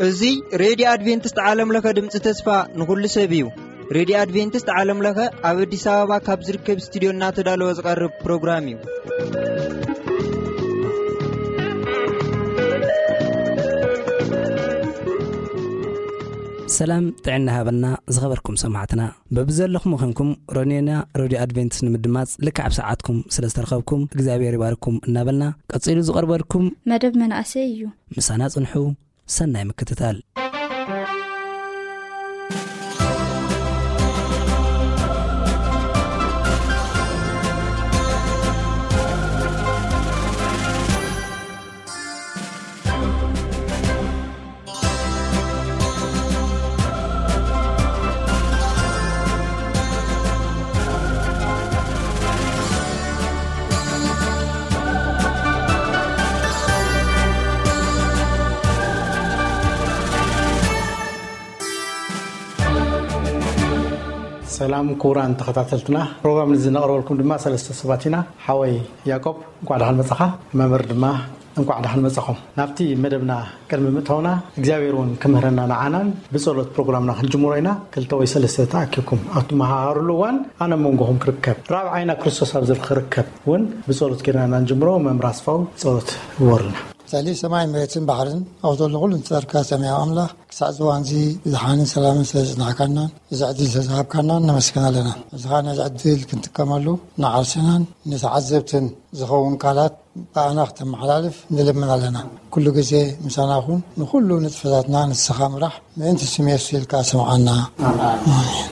እዚ ሬድዮ ኣድቬንቲስት ዓለም ለኸ ድምፂ ተስፋ ንኹሉ ሰብ እዩ። ሬድዮ ኣድቬንቲስት ዓለም ለኸ ኣብ ኣዲስ ኣበባ ካብ ዝርከብ ስቱዲዮ እናተዳለወ ዝቐርብ ፕሮግራም እዩ። ሰላም ጥዕና ሃበና ዝኸበርኩም ሰማዕትና። በብዘለኹም ኾንኩም ሮኔና ሬድዮ ኣድቬንቲስት ንምድማፅ ልክዕ ኣብ ሰዓትኩም ስለ ዝተረኸብኩም እግዚኣብሔር ይባርኩም እናበልና ቀፂሉ ዝቐርበልኩም መደብ መናእሰይ እዩ። ምሳና ጽንሑ። ሰናይ ምክትታል። ሰላም ክቡራን ተኸታተልትና፣ ፕሮግራም እዚ ነቕርበልኩም ድማ ሰለስተ ሰባት ኢና። ሓወይ ያዕቆብ፣ እንኳዕ ደሓን መጻኻ። መምህር ድማ እንኳዕ ደሓን መጻኹም። ናብቲ መደብና ቅድሚ ምእታውና እግዚኣብሔር እውን ክምህረና ንዓናን ብጸሎት ፕሮግራምና ክንጅምሮ ኢና። ክልተ ወይ ሰለስተ ተኣኪብኩም ኣብ ትመሃሃሩሉ እዋን ኣነ ኣብ መንጎኹም ክርከብ፣ ራብዓይና ክርስቶስ ኣብ ዝርክ ክርከብ እውን ብጸሎት ጌርና ኢና ንጅምሮ። መምህር ኣስፋው ጸሎት ግበሩልና። ልዕሊ ሰማይ መሬትን ባሕርን ኣብ ዘሎ ኩሉ ንዝፈጠርካ ሰማያዊ ኣምላኽ ክሳዕ ዝዋንዚ ብዝሓንን ሰላምን ስለ ዝጽናሕካናን እዚ ዕድል ስለ ዝሃብካናን ነመስግን ኣለና። እዚ ኸኣ ነዚ ዕድል ክንጥቀመሉ ንዓርስናን ንተዓዘብትን ዝኸውን ቃላት ብኣና ክተመሓላልፍ ንልምን ኣለና። ኩሉ ግዜ ምሳና ኩን፣ ንኹሉ ንጥፈታትና ንስኻ ምራሕ፣ ምእንቲ ስም የሱስ ኢልካ ስምዓና። ኣሜን።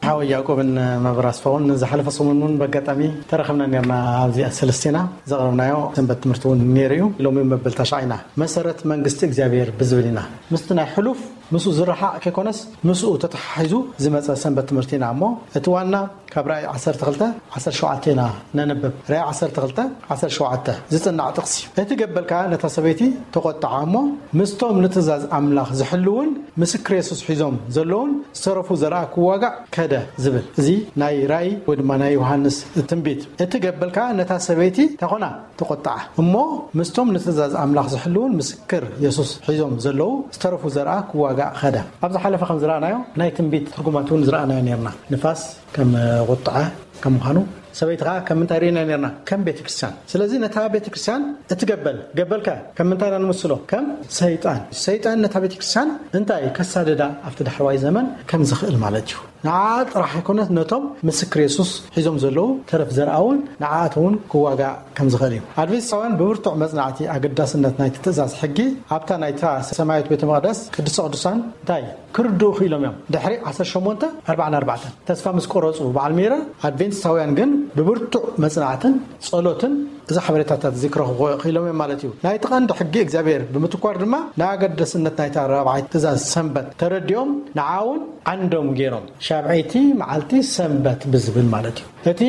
ሓወይ ያዕቆብን መምህር ኣስፋውን ዝሓለፈ ሰሙን እውን በጋጣሚ ተረኸብና ነርና። ኣብዚኣ ሰለስቴና ዘቕረብናዮ ሰንበት ትምህርቲ እውን ነይሩ እዩ። ሎሚ እውን መበል ተሽዓ ኢና። መሰረት መንግስቲ እግዚኣብሔር ብዝብል ኢና። ምስቲ ናይ ሕሉፍ ምስኡ ዝረሓቕ ከይኮነስ ምስኡ ተተሓሒዙ ዝመጸ ሰንበት ትምህርቲ ኢና እሞ እቲ ዋና ካብ ራእይ ዓሰርተ ክልተ ዓሰርተ ሸውዓተ ኢና ነንብብ። ራእይ ዓሰርተ ክልተ ዓሰርተ ሸውዓተ ዝጽናዕ ጥቕሲ እዩ። እቲ ገበል ከኣ ነታ ሰበይቲ ተቖጥዓ እሞ ምስቶም ንትእዛዝ ኣምላኽ ዝሕልውን ምስክር የሱስ ሒዞም ዘለውን ዝተረፉ ዘርኣ ክዋጋእ ከደ ዝብል። እዚ ናይ ራእይ ወይ ድማ ናይ ዮሃንስ ትንቢት። እቲ ገበል ከኣ ነታ ሰበይቲ እንታይ ኮና? ተቖጥዓ። እሞ ምስቶም ንትእዛዝ ኣምላኽ ዝሕልውን ምስክር የሱስ ሒዞም ዘለዉ ዝተረፉ ዘርኣ ክዋጋእ ኸደ። ኣብ ዝሓለፈ ከም ዝረኣናዮ ናይ ትንቢት ትርጉማት እውን ዝረኣናዮ ነርና። ንፋስ ከም ቁጥዐ ከም ምዃኑ ሰበይቲ ኸዓ ከም ምንታይ ርኢና ነርና? ከም ቤተ ክርስቲያን። ስለዚ ነታ ቤተ ክርስቲያን እቲ ገበል፣ ገበልከ ከም ምንታይ ኢና ንምስሎ? ከም ሰይጣን። ሰይጣን ነታ ቤተ ክርስቲያን እንታይ ከሳድዳ ኣብቲ ዳሕረዋይ ዘመን ከም ዝኽእል ማለት እዩ። ንዓ ጥራሕ ኣይኮነት፣ ነቶም ምስክር የሱስ ሒዞም ዘለዉ ተረፍ ዘርኣ እውን ንዓኣት እውን ክዋጋእ ከም ዝኽእል እዩ። ኣድቬንቲስታውያን ብብርቱዕ መጽናዕቲ ኣገዳስነት ናይቲ ትእዛዝ ሕጊ ኣብታ ናይታ ሰማያዊት ቤተ መቕደስ ቅድስተ ቅዱሳን እንታይ ክርድኡ ክኢሎም እዮም። ድሕሪ ዓሰርተ ሸሞንተ ኣርባዓን ኣርባዕተን ተስፋ ምስ ቆረጹ በዓል ሚረር፣ ኣድቬንቲስታውያን ግን ብብርቱዕ መጽናዕትን ጸሎትን እዚ ሓበሬታታት እዚ ክረኽቡ ክኢሎም እዮም ማለት እዩ። ናይቲ ቀንዲ ሕጊ እግዚኣብሔር ብምትኳር ድማ ንኣገዳስነት ናይታ ራብዓይቲ ትእዛዝ ሰንበት ተረዲኦም ንዓ እውን ዓንዶም ገይሮም ሻብዐይቲ መዓልቲ ሰንበት ብዝብል ማለት እዩ። እቲ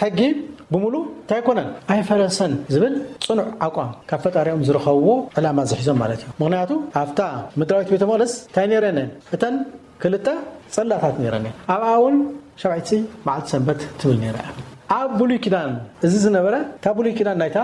ሕጊ ብምሉ እንታይ ኣይኮነን ኣይፈረሰን ዝብል ጽኑዕ ኣቋም ካብ ፈጣሪኦም ዝረኸብዎ ዕላማ ዝሒዞም ማለት እዩ። ምኽንያቱ ኣብታ ምድራዊት ቤተ መቕደስ እንታይ ነይረን? እተን ክልተ ጽላታት ነይረን እየን። ኣብኣ እውን ሻብዐይቲ መዓልቲ ሰንበት ትብል ነይራ እያ። ኣብ ብሉይ ኪዳን እዚ ዝነበረ፣ እታ ብሉይ ኪዳን ናይታ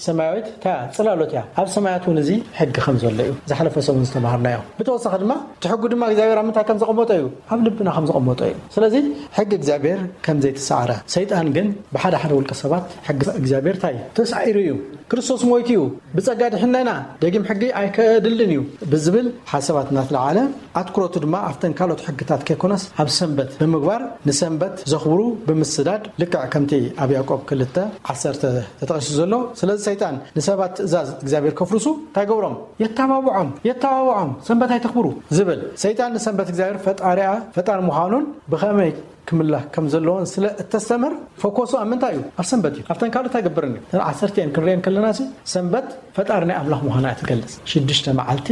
ሰማያዊት እታ ጽላሎት እያ። ኣብ ሰማያት እውን እዚ ሕጊ ከም ዘሎ እዩ ዝሓለፈ ሰሙን ዝተማሃርናዮ። ብተወሳኺ ድማ እቲ ሕጉ ድማ እግዚኣብሔር ኣብ ምንታይ ከም ዘቐመጦ እዩ? ኣብ ልብና ከም ዘቐመጦ እዩ። ስለዚ ሕጊ እግዚኣብሔር ከም ዘይተሳዕረ፣ ሰይጣን ግን ብሓደ ሓደ ውልቀ ሰባት ሕጊ እግዚኣብሔር እንታይ እዩ? ተሳዒሩ እዩ። ክርስቶስ ሞይቱ እዩ። ብጸጋ ድሒንና ኢና፣ ደጊም ሕጊ ኣይከድልን እዩ ብዝብል ሓሳባት እናተለዓለ፣ ኣትኩረቱ ድማ ኣብተን ካልኦት ሕግታት ከይኮነስ ኣብ ሰንበት ብምግባር ንሰንበት ዘኽብሩ ብምስዳድ፣ ልክዕ ከምቲ ኣብ ያዕቆብ ክልተ ዓሰርተ ተጠቒሱ ዘሎ። ስለዚ ሰይጣን ንሰባት ትእዛዝ እግዚኣብሔር ከፍርሱ እንታይ ገብሮም? የተባብዖም፣ የተባብዖም፣ ሰንበት ኣይተኽብሩ ዝብል። ሰይጣን ንሰንበት እግዚኣብሔር ፈጣሪኣ፣ ፈጣሪ ምዃኑን ብኸመይ ክምላኽ ከም ዘለዎን ስለ እተስተምር፣ ፎኮሱ ኣብ ምንታይ እዩ? ኣብ ሰንበት እዩ። ኣብተን ካልኦት ኣይገብርን እዩ። እተን ዓሰርተ እየን ክንሪአን ከለና ሲ፣ ሰንበት ፈጣሪ ናይ ኣምላኽ ምዃና እያ ትገልጽ። ሽዱሽተ መዓልቲ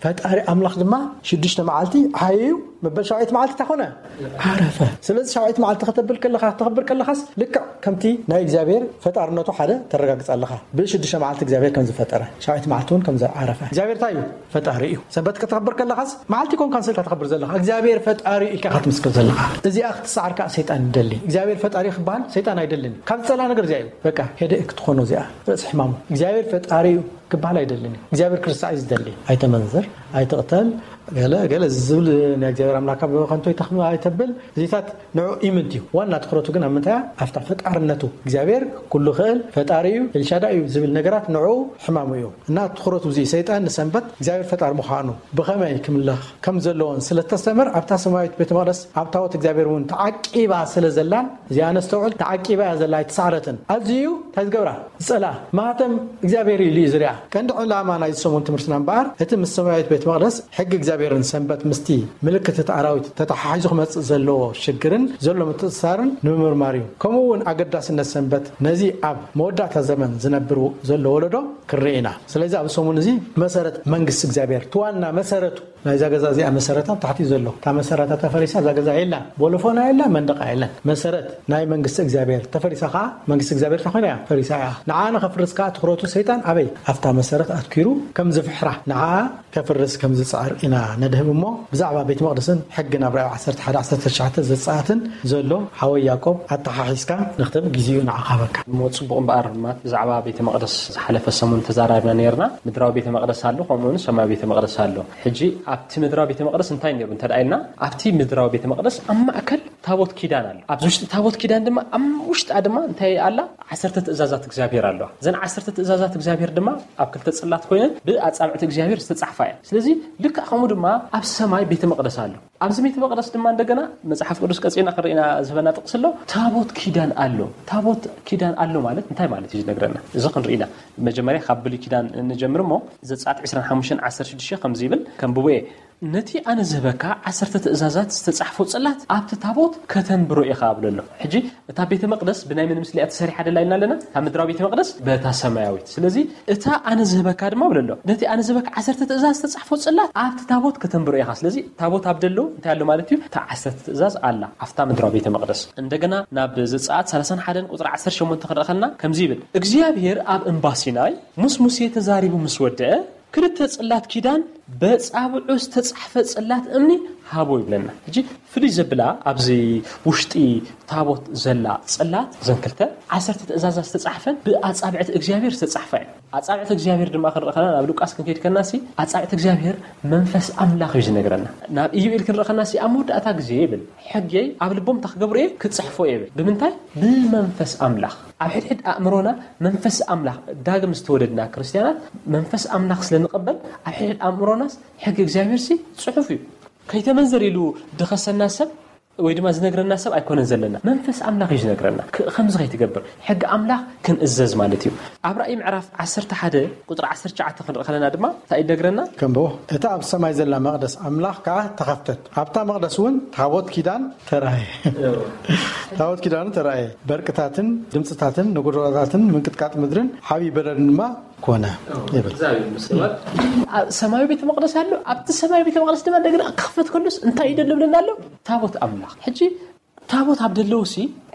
ፈጣሪ ኣምላኽ ድማ ሽዱሽተ መዓልቲ ሓየዩ፣ መበል ሻውዓይቲ መዓልቲ እንታይ ኮነ? ዓረፈ። ስለዚ ሻውዓይቲ መዓልቲ ከተብል ከለኻ፣ ከተኽብር ከለኻስ ልክዕ ከምቲ ናይ እግዚኣብሔር ፈጣርነቱ ሓደ ተረጋግጽ ኣለኻ። ብሽዱሽተ መዓልቲ እግዚኣብሔር ከም ዝፈጠረ፣ ሻውዓይቲ መዓልቲ እውን ከም ዝዓረፈ። እግዚኣብሔር እንታይ እዩ? ፈጣሪ እዩ። ሰንበት ከተኽብር ከለኻስ መዓልቲ ኮንካ ንስኻ ተኽብር ዘለኻ፣ እግዚኣብሔር ፈጣሪ እዩ ኢልካ ኢኻ ትምስክር ዘለኻ። እዚኣ ክትሰዓር ከኣ ሰይጣን ይደሊ። እግዚኣብሔር ፈጣሪ ክበሃል ሰይጣን ኣይደልን። ካብ ዝጸልኣ ነገር እዚኣ እዩ። በቃ ሄደ ክትኾኖ እዚኣ ርእሲ ሕማሙ። እግዚኣብሔር ፈጣሪ እዩ ክበሃል ኣይደልን እዩ። እግዚኣብሔር ክርስታ እዩ ዝደሊ። ኣይተመንዝር፣ ኣይትቕተል፣ ገለ ገለ ዝብል ናይ እግዚኣብሔር ኣምላካ ብኸንቱ ኣይተኽ-፣ ኣይተብል። እዚታት ንዑ ኢምንት እዩ። ዋና ትኹረቱ ግን ኣብ ምንታይ እያ? ኣብታ ፈጣርነቱ። እግዚኣብሔር ኩሉ ክእል ፈጣሪ እዩ፣ ኤልሻዳይ እዩ ዝብል ነገራት ንዑ ሕማሙ እዩ። እና ትኹረቱ እዚ ሰይጣን ንሰንበት እግዚኣብሔር ፈጣሪ ምዃኑ ብኸመይ ክምለኽ ከም ዘለዎን ስለ ተስተምር ኣብታ ሰማያዊት ቤተ መቕደስ ኣብ ታቦት እግዚኣብሔር እውን ተዓቂባ ስለ ዘላን እዚኣ ነስተውዕል፣ ተዓቂባ እያ ዘላ ኣይተሳዕረትን። ኣዝዩ እንታይ ዝገብራ? ዝጸልኣ። ማህተም እግዚኣብሔር እዩ ኢሉ እዩ ዝሪኣ። ቀንዲ ዕላማ ናይዚ ሰሙን ትምህርትና እምበኣር እቲ ምስ ሰማያዊት ቤት መቕደስ ሕጊ እግዚኣብሔርን ሰንበት ምስቲ ምልክት እቲ ኣራዊት ተተሓሒዙ ክመጽእ ዘለዎ ሽግርን ዘሎ ምትእስሳርን ንምምርማር እዩ። ከምኡ እውን ኣገዳስነት ሰንበት ነዚ ኣብ መወዳእታ ዘመን ዝነብር ዘሎ ወለዶ ክንርኢ ኢና። ስለዚ ኣብ ሰሙን እዚ መሰረት መንግስቲ እግዚኣብሔር እቲ ዋና መሰረቱ ናይዛ ገዛ እዚኣ መሰረታ ኣብ ታሕቲ እዩ ዘሎ። እታ መሰረታ ተፈሪሳ እዛ ገዛ የላ። ቦሎፎና የላ፣ መንደቃ የለን። መሰረት ናይ መንግስቲ እግዚኣብሔር ተፈሪሳ ከዓ መንግስቲ እግዚኣብሔር እንታይ ኮይና እያ? ፈሪሳ እያ። ንዓ ንኸፍርስ ከዓ ትኹረቱ ሰይጣን ኣበይ? ኣብታ መሰረት ኣትኪሩ ከም ዝፍሕራ ንዓ ከፍርስ ከም ዝጽዕር ኢና ነድህብ እሞ ብዛዕባ ቤት መቕደስን ሕጊ ናብ ራእይ ዓሰርተ ሓደ ዓሰርተ ትሽዓተ ዘጻኣትን ዘሎ ሓወይ ያዕቆብ ኣተሓሒዝካ ንክተብ ግዜኡ ንዓኻ ሃበካ። እሞ ጽቡቕ እምበኣር ማለት ብዛዕባ ቤተ መቕደስ ዝሓለፈ ሰሙን ተዛራርብና ነይርና። ምድራዊ ቤተ መቕደስ ኣሎ፣ ከምኡ እውን ሰማያዊ ቤተ መቕደስ ኣሎ። ሕጂ ኣብቲ ምድራዊ ቤተ መቕደስ እንታይ ነይሩ እንተ ደኣ ኢልና፣ ኣብቲ ምድራዊ ቤተ መቕደስ ኣብ ማእከል ታቦት ኪዳን ኣሎ። ኣብዚ ውሽጢ ታቦት ኪዳን ድማ ኣብ ውሽጣ ድማ እንታይ ኣላ? ዓሰርተ ትእዛዛት እግዚኣብሔር ኣለዋ። እዘን ዓሰርተ ትእዛዛት እግዚኣብሔር ድማ ኣብ ክልተ ጽላት ኮይነን ብኣጻብዕቲ እግዚኣብሔር ዝተጻሕፋ እየን። ስለዚ ልክዕ ከምኡ ድማ ኣብ ሰማይ ቤተ መቕደስ ኣሎ። ኣብዚ ቤተ መቕደስ ድማ እንደገና መጽሓፍ ቅዱስ ቀጺልና ክንርኢና ዝህበና ጥቕሲ ኣሎ። ታቦት ኪዳን ኣሎ። ታቦት ኪዳን ኣሎ ማለት እንታይ ማለት እዩ ዝነግረና? እዚ ክንርኢና መጀመርያ ካብ ብሉይ ኪዳን ንጀምር እሞ ዘጸኣት ዕስራን ሓሙሽተን ዓሰርተ ሽዱሽተ ከምዚ ይብል፣ ከንብቦ እየ። ነቲ ኣነ ዝህበካ ዓሰርተ ትእዛዛት ዝተጻሕፎ ጽላት ኣብቲ ታቦት ከተንብሮ ኢኻ ብሎ ኣሎ። ሕጂ እታ ቤተ መቕደስ ብናይ መን ምስሊ እያ ተሰሪሓ ደላ ኢልና ኣለና? እታ ምድራዊ ቤተ መቕደስ በታ ሰማያዊት። ስለዚ እታ ኣነ ዝህበካ ድማ ብሎ ኣሎ። ነቲ ኣነ ዝህበካ ዓሰርተ ትእዛዝ ዝተጻሕፎ ጽላት ኣብቲ ታቦት ከተንብሮ ኢኻ። ስለዚ ታቦት ኣብ ደሎ እንታይ ኣሎ ማለት እዩ? እታ ዓሰርተ ትእዛዝ ኣላ ኣብታ ምድራዊ ቤተ መቕደስ። እንደገና ናብ ዘጸኣት ሰላሳን ሓደን ቁጽሪ ዓሰርተ ሸሞንተ ክንርኢ ከለና ከምዚ ይብል፣ እግዚኣብሔር ኣብ እምባ ሲናይ ምስ ሙሴ ተዛሪቡ ምስ ወደአ ክልተ ጽላት ኪዳን በጻብዑ ዝተጻሕፈ ጽላት እምኒ ሃቦ ይብለና። ሕጂ ፍልይ ዘብላ ኣብዚ ውሽጢ ታቦት ዘላ ጽላት እዘን ክልተ ዓሰርተ ትእዛዛት ዝተጻሕፈን ብኣጻብዕቲ እግዚኣብሔር ዝተጻሕፋ እየን። ኣጻብዕቲ እግዚኣብሔር ድማ ክንርኢ ከለና ናብ ሉቃስ ክንከይድ ከለና ሲ ኣጻብዕቲ እግዚኣብሔር መንፈስ ኣምላኽ እዩ ዝነግረና። ናብ ኢዩኤል ክንርኢ ከለና ሲ ኣብ መወዳእታ ግዜ ይብል ሕገይ ኣብ ልቦም እንታይ ክገብሩ እየ ክጽሕፎ እየ ይብል። ብምንታይ? ብመንፈስ ኣምላኽ። ኣብ ሕድሕድ ኣእምሮና መንፈስ ኣምላኽ ዳግም ዝተወለድና ክርስትያናት መንፈስ ኣምላኽ ስለ ንቐበል ኣብ ሕድሕድ ኣእምሮናስ ሕጊ እግዚኣብሔር ሲ ጽሑፍ እዩ። ከይተመንዘር ኢሉ ድኸሰና ሰብ ወይ ድማ ዝነግረና ሰብ ኣይኮነን ዘለና። መንፈስ ኣምላኽ እዩ ዝነግረና። ክ-፣ ከምዚ ከይትገብር ሕጊ ኣምላኽ ክንእዘዝ ማለት እዩ። ኣብ ራእይ ምዕራፍ ዓሰርተ ሓደ ቁጽሪ ዓሰርተ ትሽዓተ ክንርኢ ከለና ድማ እንታይ እዩ ዝነግረና? ከንብቦ። እታ ኣብ ሰማይ ዘላ መቕደስ ኣምላኽ ከኣ ተኸፍተት። ኣብታ መቕደስ እውን ታቦት ኪዳን ተራእየ። ታቦት ኪዳኑ ተራእየ። በርቅታትን ድምፅታትን ነጎድጓዳትን ምንቅጥቃጥ ምድርን ዓብዪ በረድን ድማ ኮነ ይብል። ኣብ ሰማያዊ ቤተ መቕደስ ኣሎ። ኣብቲ ሰማያዊ ቤተ መቕደስ ድማ እንደገና ክኽፈት ከሎስ እንታይ እዩ ዘሎ ብለና ኣሎ? ታቦት ኣምላኽ። ሕጂ ታቦት ኣብ ደለውሲ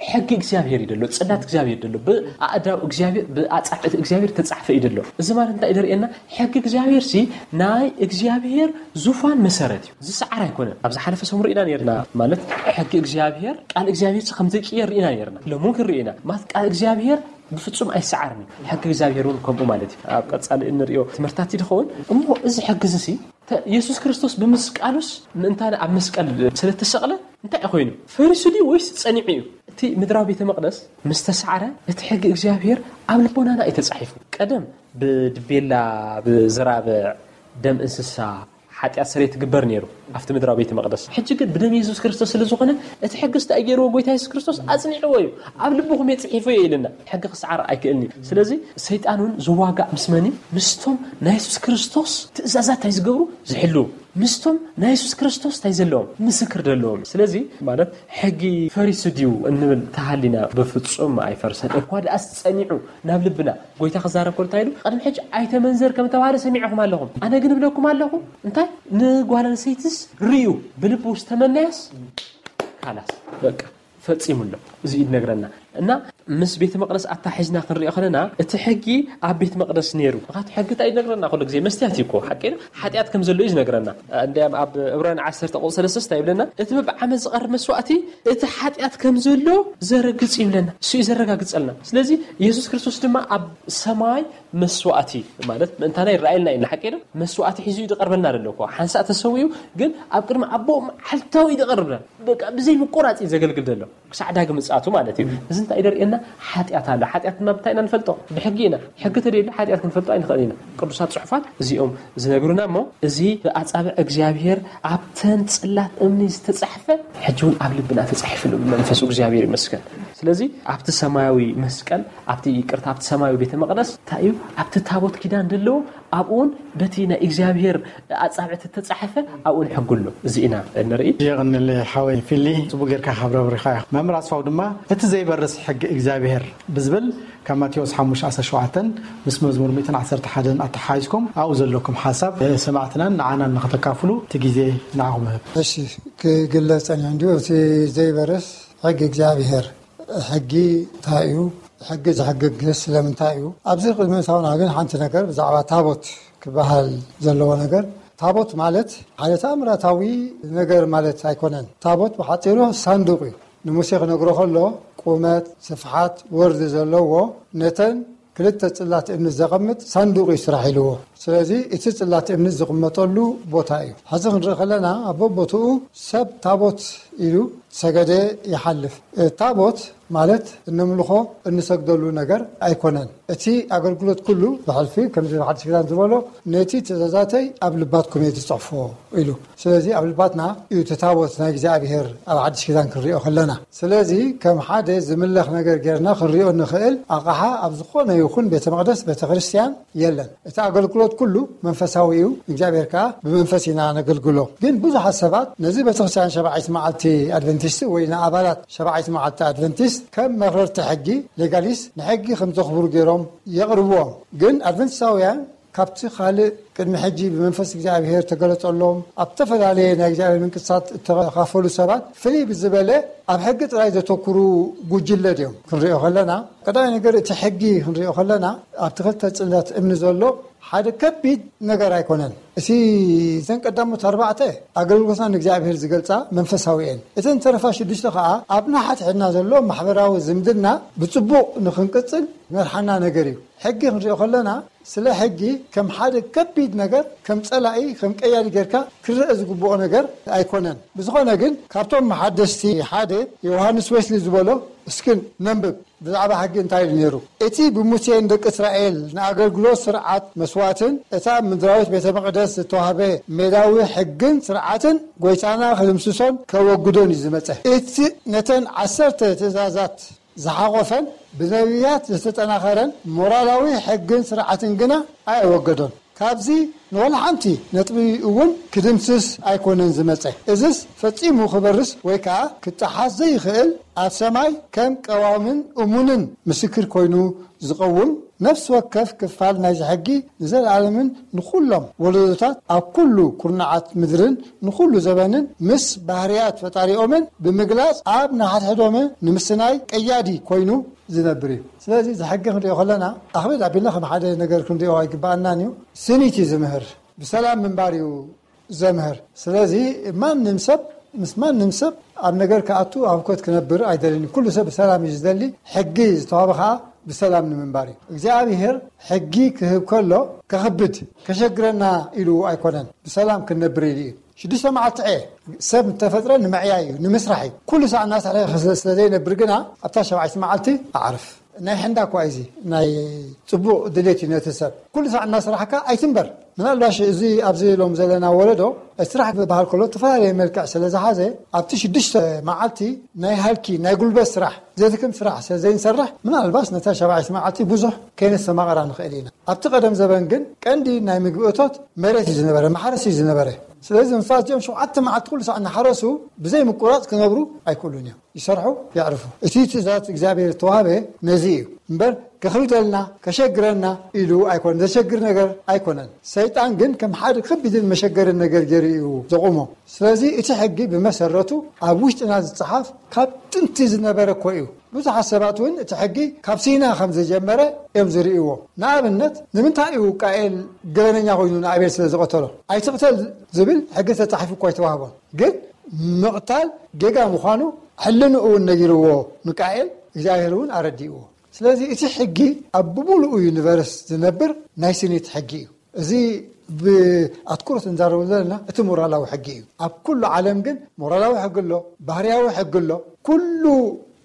ሕጊ እግዚኣብሔር እዩ ደሎ፣ ጽላት እግዚኣብሔር ደሎ፣ ብኣእዳው እግዚኣብሔር፣ ብኣጻብዕቲ እግዚኣብሔር ተጻሕፈ እዩ ደሎ። እዚ ማለት እንታይ እዩ ደርእየና? ሕጊ እግዚኣብሔር ሲ ናይ እግዚኣብሔር ዙፋን መሰረት እዩ። ዝሰዓር ኣይኮነን። ኣብ ዝሓለፈ ሰሙን ርኢና ነርና። ማለት ሕጊ እግዚኣብሔር፣ ቃል እግዚኣብሔር ሲ ከም ዘይቅየር ርኢና ነርና። ሎሚ እውን ክንርኢ ኢና። ማለት ቃል እግዚኣብሔር ብፍጹም ኣይሰዓርን እዩ። ሕጊ እግዚኣብሔር እውን ከምኡ ማለት እዩ። ኣብ ቀጻሊ እንርእዮ ትምህርታት ይኸውን። እሞ እዚ ሕጊ እዚ ሲ ተ-፣ የሱስ ክርስቶስ ብምስቃሉስ ምእንታና ኣብ መስቀል ስለ እተሰቕለ እንታይ እዩ ኮይኑ? ፈሪሱ ድዩ ወይስ ጸኒዑ እዩ? እቲ ምድራዊ ቤተ መቕደስ ምስ ተሳዕረ እቲ ሕጊ እግዚኣብሔር ኣብ ልቦናና እዩ ተጻሒፉ። ቀደም ብድቤላ፣ ብዝራብዕ፣ ደም እንስሳ፣ ሓጢኣት ስርየት ትግበር ነይሩ ኣብቲ ምድራዊ ቤተ መቕደስ። ሕጂ ግን ብደም የሱስ ክርስቶስ ስለ ዝኾነ እቲ ሕጊ እንታይ ገይርዎ? ጎይታ የሱስ ክርስቶስ ኣጽኒዕዎ እዩ። ኣብ ልብኹም እየ ጽሒፎ እየ ኢልና። ሕጊ ክሰዓር ኣይክእልን እዩ። ስለዚ ሰይጣን እውን ዝዋጋእ ምስ መን እዩ? ምስቶም ናይ የሱስ ክርስቶስ ትእዛዛት እንታይ ዝገብሩ? ዝሕልዉ። ምስቶም ናይ የሱስ ክርስቶስ እንታይ ዘለዎም? ምስክር ዘለዎም። ስለዚ ማለት ሕጊ ፈሪሱ ድዩ እንብል ተሃሊና፣ በፍጹም ኣይፈርሰን። እኳ ደኣስ ጸኒዑ ናብ ልብና ጎይታ ክዛረብ ከሎ እንታይ ኢሉ? "ቅድሚ ሕጂ ኣይተመንዘር ከም ተባህለ ሰሚዕኹም ኣለኹም። ኣነ ግን እብለኩም ኣለኹ፣ እንታይ ንጓል ኣንስተይትስ ርእዩ ብልቡ ዝተመነያስ ካላስ በቃ ፈጺሙ ኣሎ." እዚ እዩ ዝነግረና። እና ምስ ቤተ መቕደስ ኣታሒዝና ክንሪኦ ከለና እቲ ሕጊ ኣብ ቤተ መቕደስ ነይሩ። ምኽንያቱ ሕጊ እንታይ እዩ ዝነግረና? ኩሉ ግዜ መስትያት እዩ እኮ፣ ሓቂ ነው። ሓጢኣት ከም ዘሎ እዩ ዝነግረና። እንዲያም ኣብ ዕብራውያን ዓሰርተ ቁጽሪ ሰለስተ እንታይ ይብለና? "እቲ ብዓመት ዝቐርብ መስዋእቲ እቲ ሓጢኣት ከም ዘሎ ዘረግጽ" ይብለና። እሱ እዩ ዘረጋግጸልና። ስለዚ የሱስ ክርስቶስ ድማ ኣብ ሰማይ መስዋእቲ ማለት ምእንታና ይረኣየልና እዩ፣ ሓቂ ነው። መስዋእቲ ሒዙ እዩ ዝቐርበልና ዘሎ እኮ። ሓንሳእ ተሰዊኡ ግን ኣብ ቅድሚ ኣቦኡ መዓልታዊ እዩ ዝቐርብና። በቃ ብዘይ ምቁራጽ እዩ ዘገልግል ዘሎ ክሳዕ ዳግም ምጽኣቱ ማለት እዩ። እዚ እንታይ ደርእየና? ሓጢኣት ኣሎ። ሓጢኣት ድማ ብታይ ኢና ንፈልጦ? ብሕጊ ኢና። ሕጊ ተደይሉ ሓጢኣት ክንፈልጦ ኣይንኽእል ኢና። ቅዱሳት ጽሑፋት እዚኦም ዝነግሩና እሞ፣ እዚ ብኣጻብዕ እግዚኣብሔር ኣብተን ጽላት እምኒ ዝተጻሕፈ ሕጂ እውን ኣብ ልብና ተጻሒፉ ኣሎ ብመንፈሱ። እግዚኣብሔር ይመስገን። ስለዚ ኣብቲ ሰማያዊ መስቀል፣ ኣብቲ ይቅርታ፣ ኣብቲ ሰማያዊ ቤተ መቕደስ እንታይ እዩ? ኣብቲ ታቦት ኪዳን ዘለዎ ኣብኡን በቲ ናይ እግዚኣብሔር ኣጻብዕቲ ተጻሕፈ ኣብኡን ሕጉ ኣሎ። እዚ ኢና ንርኢ። የቐንል ሓወይ ፊሊ፣ ጽቡቅ ጌርካ ካብ ረብሪኻ ኢኻ። መምህር ኣስፋው ድማ እቲ ዘይበርስ ሕጊ እግዚኣብሔር ብዝብል ካብ ማቴዎስ ሓሙሽተ ዓሰርተ ሸውዓተ ምስ መዝሙር ሚእትን ዓሰርተ ሓደን ኣተሓሒዝኩም ኣብኡ ዘለኩም ሓሳብ ሰማዕትናን ንዓናን ንኸተካፍሉ እቲ ግዜ ንዓኹም እህብ። እሺ፣ ክግለጽ ጸኒሑ እንዲሁ እቲ ዘይበርስ ሕጊ እግዚኣብሔር ሕጊ እንታይ እዩ? ሕጊ ዝሕግግ ስለምንታይ እዩ? ኣብዚ ቅድሚ ምእታውና ግን ሓንቲ ነገር ብዛዕባ ታቦት ክበሃል ዘለዎ ነገር፣ ታቦት ማለት ሓደ ተኣምራታዊ ነገር ማለት ኣይኮነን። ታቦት ብሓጺሩ ሳንዱቕ እዩ። ንሙሴ ክነግሮ ከሎ ቁመት፣ ስፍሓት፣ ወርዲ ዘለዎ ነተን ክልተ ጽላት እምኒ ዘቐምጥ ሳንዱቕ እዩ ስራሕ ኢልዎ። ስለዚ እቲ ጽላት እምኒ ዝቕመጠሉ ቦታ እዩ። ሕዚ ክንርኢ ከለና ኣብ ቦቦትኡ ሰብ ታቦት ኢሉ ሰገደ ይሓልፍ። እ፣ ታቦት ማለት እነምልኾ እንሰግደሉ ነገር ኣይኮነን። እቲ ኣገልግሎት ኩሉ ብሕልፊ ከምዚ ሓድሽ ኪዳን ዝበሎ ነቲ ትእዛዛተይ ኣብ ልባትኩም እየ ዝጽሕፎ ኢሉ። ስለዚ ኣብ ልባትና እዩ እቲ ታቦት ናይ እግዚኣብሔር ኣብ ሓድሽ ኪዳን ክንሪኦ ከለና። ስለዚ ከም ሓደ ዝምለኽ ነገር ጌርና ክንሪኦ እንኽእል ኣቕሓ ኣብ ዝኾነ ይኹን ቤተ መቕደስ፣ ቤተ ክርስቲያን የለን። እቲ ኣገልግሎት ኩሉ መንፈሳዊ እዩ፣ እግዚኣብሔር ከኣ ብመንፈስ ኢና ነገልግሎ። ግን ብዙሓት ሰባት ነዚ ቤተክርስትያን ሸባዒት መዓልቲ ኣድቨንቲስት ወይ ንኣባላት ሸባዒት መዓልቲ ኣድቨንቲስት ከም መኽረርቲ ሕጊ፣ ሌጋሊስት፣ ንሕጊ ከም ዘኽብሩ ገይሮም የቕርብዎም። ግን ኣድቨንቲስታውያን ካብቲ ካልእ ቅድሚ ሕጂ ብመንፈስ እግዚኣብሔር ተገለጸሎም ኣብ ዝተፈላለየ ናይ እግዚኣብሔር ምንቅስቃሳት እተኻፈሉ ሰባት ፍልይ ብዝበለ ኣብ ሕጊ ጥራይ ዘተኩሩ ጉጅለ ድዮም? ክንሪኦ ከለና ቀዳማይ ነገር እቲ ሕጊ ክንሪኦ ከለና ኣብቲ ክልተ ጽላት እምኒ ዘሎ ሓደ ከቢድ ነገር ኣይኮነን። እቲ እዘን ቀዳሞት ኣርባዕተ ኣገልግሎትና ንእግዚኣብሔር ዝገልጻ መንፈሳዊ እየን። እተን ተረፋ ሽዱሽተ ከኣ ኣብ ንሓድሕድና ዘሎ ማሕበራዊ ዝምድና ብጽቡቕ ንኽንቅጽል ዝመርሓና ነገር እዩ። ሕጊ ክንሪኦ ከለና ስለ ሕጊ ከም ሓደ ከቢድ ነገር፣ ከም ጸላኢ፣ ከም ቀያዲ ጌርካ ክረአ ዝግብኦ ነገር ኣይኮነን። ብዝኾነ ግን ካብቶም መሓደስቲ ሓደ ዮሃንስ ዌስሊ ዝበሎ እስክን ነንብብ። ብዛዕባ ሕጊ እንታይ ኢሉ ነይሩ? እቲ ብሙሴን ደቂ እስራኤል ንኣገልግሎት ስርዓት መስዋእትን እታ ምድራዊት ቤተ መቕደስ ዝተዋህበ ሜዳዊ ሕግን ስርዓትን ጎይታና ክድምስሶን ከወግዶን እዩ ዝመጸ። እቲ ነተን ዓሰርተ ትእዛዛት ዝሓቖፈን ብነቢያት ዝተጠናኸረን ሞራላዊ ሕግን ስርዓትን ግና ኣየወገዶን። ካብዚ ንወላ ሓንቲ ነጥቢ እውን ክድምስስ ኣይኮነን ዝመጸ። እዝስ ፈጺሙ ክበርስ ወይ ከኣ ክጠሓስ ዘይኽእል፣ ኣብ ሰማይ ከም ቀዋምን እሙንን ምስክር ኮይኑ ዝቐውም ነፍሲ ወከፍ ክፋል ናይዚ ሕጊ ንዘለኣለምን ንኹሎም ወለዶታት ኣብ ኩሉ ኩርናዓት ምድርን ንኹሉ ዘበንን ምስ ባህርያት ፈጣሪኦምን ብምግላጽ ኣብ ንሓድሕዶም ንምስናይ ቀያዲ ኮይኑ ዝነብር እዩ። ስለዚ እዚ ሕጊ ክንሪኦ ከለና ኣኽብድ ኣቢልና ከም ሓደ ነገር ክንሪኦ ኣይግባኣናን እዩ። ስኒት እዩ ዝምህር፣ ብሰላም ምንባር እዩ ዘምህር። ስለዚ ማንም ሰብ ምስ ማንም ሰብ ኣብ ነገር ክኣቱ ኣብ ህውከት ክነብር ኣይደልን። ኩሉ ሰብ ብሰላም እዩ ዝደሊ። ሕጊ ዝተዋህበ ከዓ ብሰላም ንምንባር እዩ። እግዚኣብሔር ሕጊ ክህብ ከሎ ከኽብድ ከሸግረና ኢሉ ኣይኮነን፣ ብሰላም ክንነብር ኢሉ እዩ። ሽዱሽተ መዓልቲ ዕየ ሰብ እንተፈጥረ ንምዕያይ እዩ፣ ንምስራሕ እዩ። ኩሉ ሳዕ እናሰርሐ ስለ ዘይነብር ግና ኣብታ ሸባዒት መዓልቲ ኣዕርፍ። ናይ ሕንዳ እኳ እዚ ናይ ጽቡቕ ድሌት እዩ ነቲ ሰብ። ኩሉ ሳዕ እናስራሕካ ኣይትንበር። ምናልባሽ እዚ ኣብዚ ሎም ዘለና ወለዶ ስራሕ ክበሃል ከሎ ዝተፈላለየ መልክዕ ስለ ዝሓዘ ኣብቲ ሽዱሽተ መዓልቲ ናይ ሃልኪ ናይ ጉልበት ስራሕ ዘድክም ስራሕ ስለ ዘይንሰርሕ ምናልባሽ ነታ ሸባዒት መዓልቲ ብዙሕ ከይነስተማቕራ ንኽእል ኢና። ኣብቲ ቀደም ዘበን ግን ቀንዲ ናይ ምግቢ እቶት መሬት እዩ ዝነበረ፣ ማሕረስ እዩ ዝነበረ። ስለዚ ንሳቶም ሸውዓተ መዓልቲ ኩሉ ሳዕ እናሓረሱ ብዘይ ምቁራፅ ክነብሩ ኣይክእሉን እዮም። ይሰርሑ፣ የዕርፉ። እቲ ትእዛዝ እግዚኣብሔር ዝተዋህበ ነዚ እዩ እምበር፣ ከኽብደልና፣ ከሸግረና ኢሉ ኣይኮነን። ዘሸግር ነገር ኣይኮነን። ሰይጣን ግን ከም ሓደ ከቢድን መሸገርን ነገር ገይሩ እዩ ዘቑሞ። ስለዚ እቲ ሕጊ ብመሰረቱ ኣብ ውሽጥና ዝፀሓፍ ካብ ጥንቲ ዝነበረ እኮ እዩ። ብዙሓት ሰባት እውን እቲ ሕጊ ካብ ሲና ከም ዝጀመረ እዮም ዝርእይዎ። ንኣብነት፣ ንምንታይ እዩ ቃኤል ገበነኛ ኮይኑ ንኣቤል ስለ ዝቐተሎ? ኣይትቕተል ዝብል ሕጊ ተፃሒፉ እኮ ኣይተዋህቦን። ግን ምቕታል ጌጋ ምዃኑ ሕልንኡ እውን ነጊርዎ ንቃኤል፣ እግዚኣብሔር እውን ኣረዲእዎ። ስለዚ እቲ ሕጊ ኣብ ብምሉኡ ዩኒቨርስ ዝነብር ናይ ስኒት ሕጊ እዩ። እዚ ብኣትኩሮት እንዛረቡ ዘለና እቲ ሞራላዊ ሕጊ እዩ። ኣብ ኩሉ ዓለም ግን ሞራላዊ ሕጊ ኣሎ፣ ባህርያዊ ሕጊ ኣሎ። ኩሉ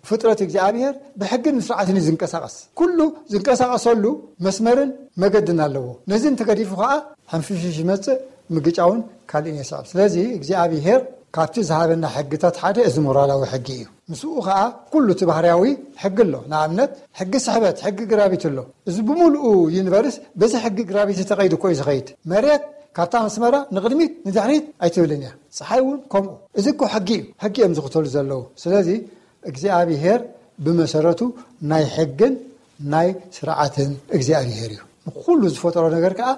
ፍጥረት እግዚኣብሔር ብሕግን ስርዓትን እዩ ዝንቀሳቐስ። ኩሉ ዝንቀሳቐሰሉ መስመርን መገድን ኣለዎ። ነዚ እንተገዲፉ ከዓ ሕንፍሽሽ ይመፅእ፣ ምግጫውን ካልእን የስዕብ። ስለዚ እግዚኣብሔር ካብቲ ዝሃበና ሕግታት ሓደ እዚ ሞራላዊ ሕጊ እዩ። ምስኡ ከዓ ኩሉ እቲ ባህርያዊ ሕጊ ኣሎ። ንኣብነት ሕጊ ስሕበት፣ ሕጊ ግራቪቲ ኣሎ። እዚ ብምሉኡ ዩኒቨርስ በዚ ሕጊ ግራቪቲ ተቐይዱ እኮ እዩ ዝኸይድ። መሬት ካብታ መስመራ ንቕድሚት ንድሕሪት ኣይትብልን እያ። ፀሓይ እውን ከምኡ። እዚ እኮ ሕጊ እዩ። ሕጊ እዮም ዝኽተሉ ዘለዉ። ስለዚ እግዚኣብሔር ብመሰረቱ ናይ ሕግን ናይ ስርዓትን እግዚኣብሔር እዩ። ንኩሉ ዝፈጠሮ ነገር ከዓ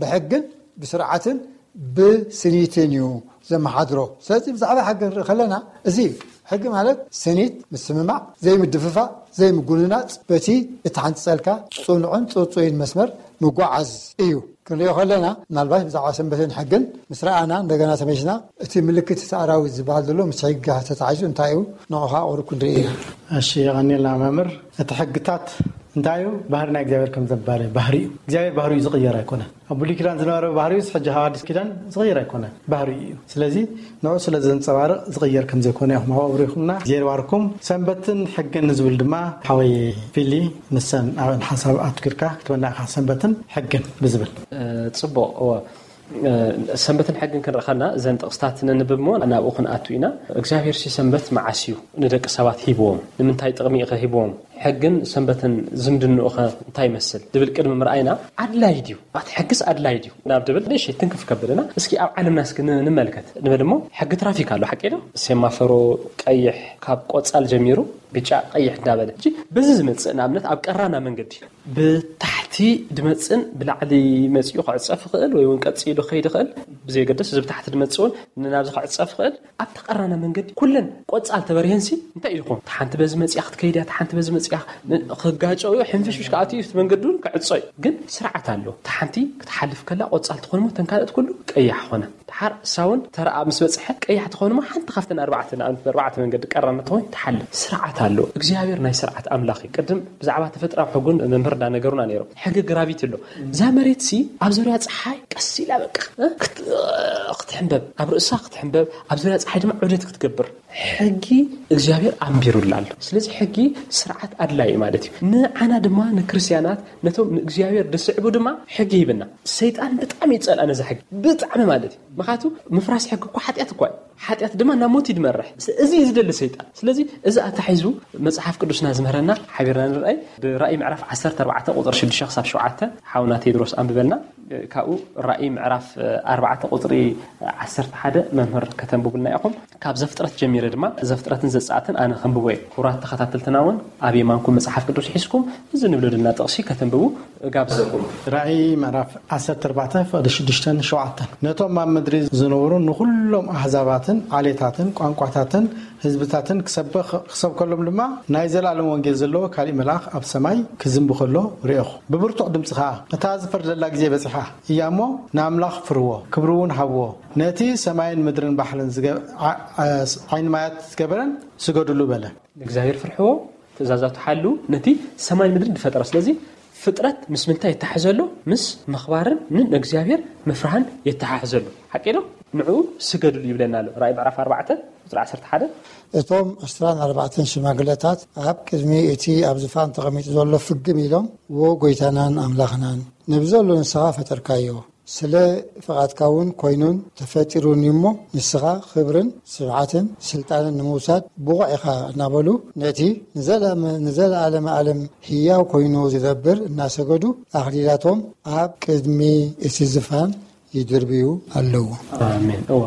ብሕግን ብስርዓትን ብስኒትን እዩ ዘመሓድሮ። ስለዚ ብዛዕባ ሕጊ ንርኢ ከለና እዚ እዩ። ሕጊ ማለት ስኒት፣ ምስምማዕ፣ ዘይምድፍፋእ፣ ዘይምጉንናፅ፣ በቲ እትሓንፅፀልካ ፅኑዕን ፅፁይን መስመር ምጓዓዝ እዩ። ክንሪኦ ከለና ምናልባት ብዛዕባ ሰንበትን ሕግን ምስ ረኣና እንደገና ተመልስና እቲ ምልክት እቲ ኣራዊት ዝበሃል ዘሎ ምስ ሕጊ ተታሒዙ እንታይ እዩ ንዑ ከዓ ቁሩብ ክንርኢ ኢና። እሺ፣ የቐንየልና መምህር። እቲ ሕግታት እንታይ እዩ? ባህሪ ናይ እግዚኣብሔር ከም ዘባለ ባህሪ እዩ። እግዚኣብሔር ባህሪ እዩ ዝቕየር ኣይኮነን። ኣብ ብሉይ ኪዳን ዝነበረ ባህሪ እዩ ሕጂ ኣብ ኣዲስ ኪዳን ዝቕየር ኣይኮነን፣ ባህሪ እዩ። ስለዚ ንዑ ስለ ዘንጸባርቕ ዝቕየር ከም ዘይኮነ ኢኹም ኣብኡ ኣብሪኹምና። እግዚኣብሔር ይባርኩም። ሰንበትን ሕግን ዝብል ድማ ሓወይ ፊሊ ንሰን ኣብን ሓሳብ ኣትኪርካ ክትበና ኢኻ፣ ሰንበትን ሕግን ብዝብል። ጽቡቕ። እወ፣ ሰንበትን ሕግን ክንርኢ ከለና እዘን ጥቕስታት ነንብብ እሞ ናብኡ ክንኣቱ ኢና። እግዚኣብሔር ሲ ሰንበት መዓስ እዩ ንደቂ ሰባት ሂብዎም? ንምንታይ ጥቕሚ እዩ ሂብዎም? ሕግን ሰንበትን ዝምድንኡ ኸ እንታይ ይመስል? ዝብል ቅድሚ ምርኣይና ኣድላይ ድዩ? ኣቲ ሕግስ ኣድላይ ድዩ ናብ ድብል ንእሽተይ ትንክፍ ከብልና እስኪ ኣብ ዓለምና እስኪ ን- ንመልከት። ንበል እሞ ሕጊ ትራፊክ ኣሎ፣ ሓቂ ዶ? ሴማፈሮ ቀይሕ ካብ ቆጻል ጀሚሩ ብጫ ቀይሕ እንዳበለ፣ ሕጂ በዚ ዝመጽእ ንኣብነት ኣብ ቀራና መንገዲ ብታሕቲ ድመጽን ብላዕሊ መጺኡ ክዕጸፍ ይኽእል ወይ እውን ቀጺሉ ክኸይድ ይኽእል፣ ብዘየገደስ እዚ ብታሕቲ ድመጽእ እውን ንናብዚ ክዕጸፍ ይኽእል። ኣብቲ ቀራና መንገዲ ኩለን ቆጻል ተበሪሀንሲ እንታይ እዩ ዝኾን? እታ ሓንቲ በዚ መጺኣ ክትከይድ እያ፣ እታ ሓንቲ በዚ መጺኣ ን- ክጋጨው እዩ፣ ሕንፍሽፍሽ ክኣትዩ እዩ፣ እቲ መንገዲ እውን ክዕጾ እዩ። ግን ስርዓት ኣሎ። እታ ሓንቲ ክትሓልፍ ከላ ቆጻል ትኾን እሞ እተን ካልኦት ኩሉ ቀያሕ ኾነ። ድሓር እሳ እውን ተረኣ ምስ በጽሐ ቀያሕ ትኾን እሞ ሓንቲ ካብተን ኣርባዕተ ንኣብነት ብኣርባዕተ መንገዲ ቀራና ትኾን ትሓልፍ። ስርዓት ኣሎ። እግዚኣብሔር ናይ ስርዓት ኣምላኽ እዩ። ቅድም ብዛዕባ ተፈጥራዊ ሕጉን መምህር እንዳነገሩና ነይሮም። ሕጊ ግራቪቲ ኣሎ። እዛ መሬት ሲ ኣብ ዙርያ ፀሓይ ቀስ ኢላ በቃ እ? ክት- እ፣ ክትሕንበብ፣ ኣብ ርእሳ ክትሕንበብ፣ ኣብ ዙርያ ፀሓይ ድማ ዑደት ክትገብር ሕጊ እግዚኣብሔር ኣንቢሩላ ኣሎ። ስለዚ ሕጊ ስርዓት ኣድላይ እዩ ማለት እዩ። ንዓና ድማ ንክርስቲያናት ነቶም ንእግዚኣብሔር ዝስዕቡ ድማ ሕጊ ሂብና። ሰይጣን ብጣዕሚ ይጸልኣ ነዚ ሕጊ፣ ብጣዕሚ ማለት እዩ። ምኽንያቱ ምፍራስ ሕጊ እኮ ሓጢኣት እኳ እዩ። ሓጢኣት ድማ ናብ ሞት እዩ ዝመርሕ። ስ- እዚ እዩ ዝደሊ ሰይጣን። ስለዚ እዚ ኣታሒዙ መጽሓፍ ቅዱስና ዝምህረና ሓቢርና ንርኣይ። ብራእይ ምዕራፍ ዓሰርተ ኣርባዕተ ቁጽሪ ሽዱሽተ ክሳብ ሸውዓተ ሓውና ቴድሮስ ኣንብበልና። ካብኡ ራእይ ምዕራፍ ኣርባዕተ ቁጽሪ ዓሰርተ ሓደ መምህር ከተንብቡልና ኢኹም። ካብ ዘፍጥረት ጀሚረ ድማ ዘፍጥረትን ዘጸኣትን ኣነ ከንብቦ እየ። ክቡራት ተኸታተልትና እውን ኣብ የማንኩም መጽሓፍ ቅዱስ ሒዝኩም እዚ ንብለደና ጥቕሲ ከተንብቡ እጋብዘኩም። ራእይ ምዕራፍ ዓሰርተ ኣርባዕተ ፍቕዲ ሽዱሽተን ሸውዓተን። ነቶም ኣብ ምድሪ ዝነብሩ ንኹሎም ኣህዛባትን ዓሌታትን ቋንቋታትን ህዝብታትን ክሰብኽ- ክሰብከሎም ድማ ናይ ዘለኣለም ወንጌል ዘለዎ ካሊእ መልኣኽ ኣብ ሰማይ ክዝንቢ ከሎ ርኤኹ። ብብርቱዕ ድምፂ ኸዓ፣ እታ ዝፈርደላ ግዜ በፂሓ እያ እሞ ንኣምላኽ ፍርዎ፣ ክብሪ እውን ሃብዎ። ነቲ ሰማይን ምድርን ባሕርን ዝገ- ዓ- ዓ- ዓይኒ ማያት ዝገበረን ስገዱሉ በለ። ንእግዚኣብሔር ፍርሕዎ፣ ትእዛዛቱ ሓልዉ፣ ነቲ ሰማይን ምድርን ዝፈጠረ። ስለዚ ፍጥረት ምስ ምንታይ ይተሓሕዘሉ? ምስ ምኽባርን ንእግዚኣብሔር ምፍራህን ይተሓሕዘሉ። ሓቂ ዶ? ንዕኡ ስገድሉ ይብለና ኣሎ። ራእይ ምዕራፍ ኣርባዕተ ቁጽሪ ዓሰርተ ሓደ። እቶም ዕስራን ኣርባዕተን ሽማግለታት ኣብ ቅድሚ እቲ ኣብ ዝፋን ተቐሚጡ ዘሎ ፍግም ኢሎም፣ "ዎ ጎይታናን ኣምላኽናን፣ ነብዘሎ ንስኻ ፈጠርካዮ፣ ስለ ፍቓድካ እውን ኮይኑን ተፈጢሩን እዩ እሞ፣ ንስኻ ክብርን ስብዓትን ስልጣንን ንምውሳድ ብቑዕ ኢኻ" እናበሉ፣ ነቲ ንዘለኣመ-፣ ንዘለኣለመ ዓለም ህያው ኮይኑ ዝነብር እናሰገዱ፣ ኣኽሊላቶም ኣብ ቅድሚ እቲ ዝፋን ይድርብዩ ኣለዉ። ኣሜን። እዋ፣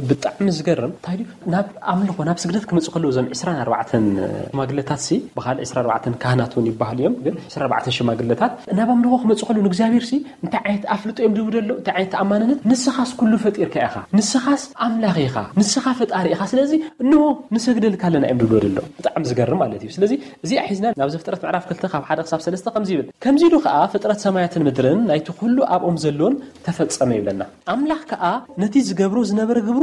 ብጣዕሚ ዝገርም እንታይ ድዩ፣ ናብ ኣምልኾ ናብ ስግደት ክመፁ ከለዉ እዞም ዕስራን ኣርባዕተን ሽማግለታት ሲ ብካልእ ዕስራን ኣርባዕተን ካህናት እውን ይበሃሉ እዮም። ግን ዕስራን ኣርባዕተን ሽማግለታት ናብ ኣምልኾ ክመፁ ከለዉ ንእግዚኣብሔር ሲ እንታይ ዓይነት ኣፍልጦ እዮም ድቡ ደሎ እንታይ ዓይነት ተኣማንነት? ንስኻስ ኩሉ ፈጢርካ ኢኻ፣ ንስኻስ ኣምላኽ ኢኻ፣ ንስኻ ፈጣሪ ኢኻ። ስለዚ እንሆ ንሰግደልካ ኣለና እዮም ድብሎ ደሎ። ብጣዕሚ ዝገርም ማለት እዩ። ስለዚ እዚኣ ሒዝና ናብ ዘፍጥረት ምዕራፍ ክልተ ካብ ሓደ ክሳብ ሰለስተ ከምዚ ይብል፣ ከምዚ ኢሉ ከዓ ፍጥረት ሰማያትን ምድርን ናይቲ ኩሉ ኣብኦም ዘሎን ተፈጸመ ይብለና። ኣምላኽ ከኣ ነቲ ዝገብሮ ዝነበረ ግብሩ